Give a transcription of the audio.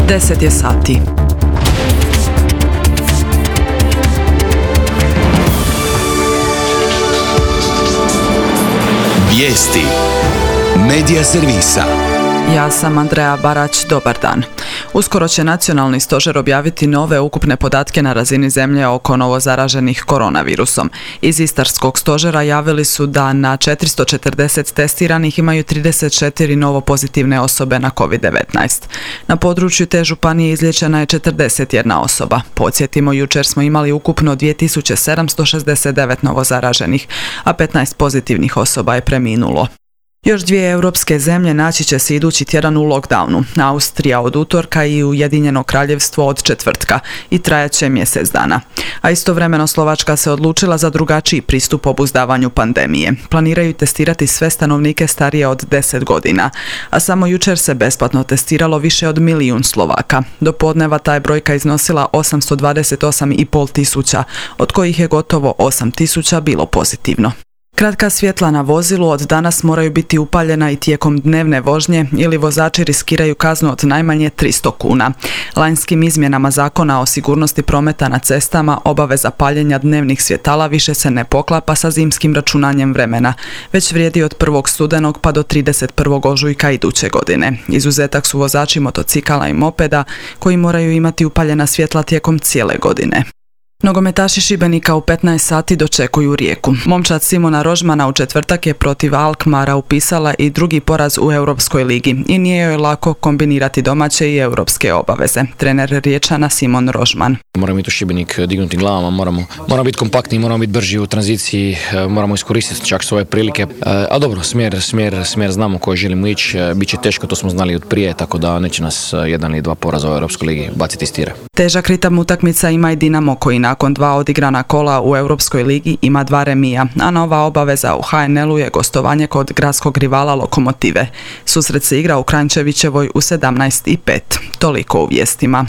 10 je sati. Vijesti Medija servisa. Ja sam Andreja Barać, dobar dan. Uskoro će Nacionalni stožer objaviti nove ukupne podatke na razini zemlje oko novozaraženih koronavirusom. Iz Istarskog stožera javili su da na 440 testiranih imaju 34 novo pozitivne osobe na COVID-19. Na području te županije izliječena je 41 osoba. Podsjetimo, jučer smo imali ukupno 2769 novozaraženih, a 15 pozitivnih osoba je preminulo. Još dvije europske zemlje naći će se idući tjedan u lockdownu. Austrija od utorka i Ujedinjeno Kraljevstvo od četvrtka i trajaće mjesec dana. A istovremeno Slovačka se odlučila za drugačiji pristup obuzdavanju pandemije. Planiraju testirati sve stanovnike starije od 10 godina, a samo jučer se besplatno testiralo više od 1 milijun Slovaka. Do podneva ta je brojka iznosila 828,5 tisuća, od kojih je gotovo 8 tisuća bilo pozitivno. Kratka svjetla na vozilu od danas moraju biti upaljena i tijekom dnevne vožnje ili vozači riskiraju kaznu od najmanje 300 kuna. Lanjskim izmjenama Zakona o sigurnosti prometa na cestama obaveza paljenja dnevnih svjetala više se ne poklapa sa zimskim računanjem vremena, već vrijedi od 1. studenog pa do 31. ožujka iduće godine. Izuzetak su vozači motocikala i mopeda koji moraju imati upaljena svjetla tijekom cijele godine. Nogometaši Šibenika u 15 sati dočekuju Rijeku. Momčad Simona Rožmana u četvrtak je protiv Alkmara upisala i drugi poraz u Europskoj ligi i nije joj lako kombinirati domaće i europske obaveze. Trener Riječana Simon Rožman. Moramo biti u Šibenik dignuti glavama, moramo biti kompaktni, moramo biti brži u tranziciji, moramo iskoristiti čak svoje prilike. A dobro, smjer znamo koji želimo ići, bit će teško, to smo znali od prije, tako da neće nas 1 ili 2 poraza u Europskoj ligi baciti iz tira. Težak ritam utakmica ima i Dinamo koji nakon 2 odigrana kola u Europskoj ligi ima 2 remija, a nova obaveza u HNL-u je gostovanje kod gradskog rivala Lokomotive. Susret se igra u Kranjčevićevoj u 17:05. Toliko u vijestima.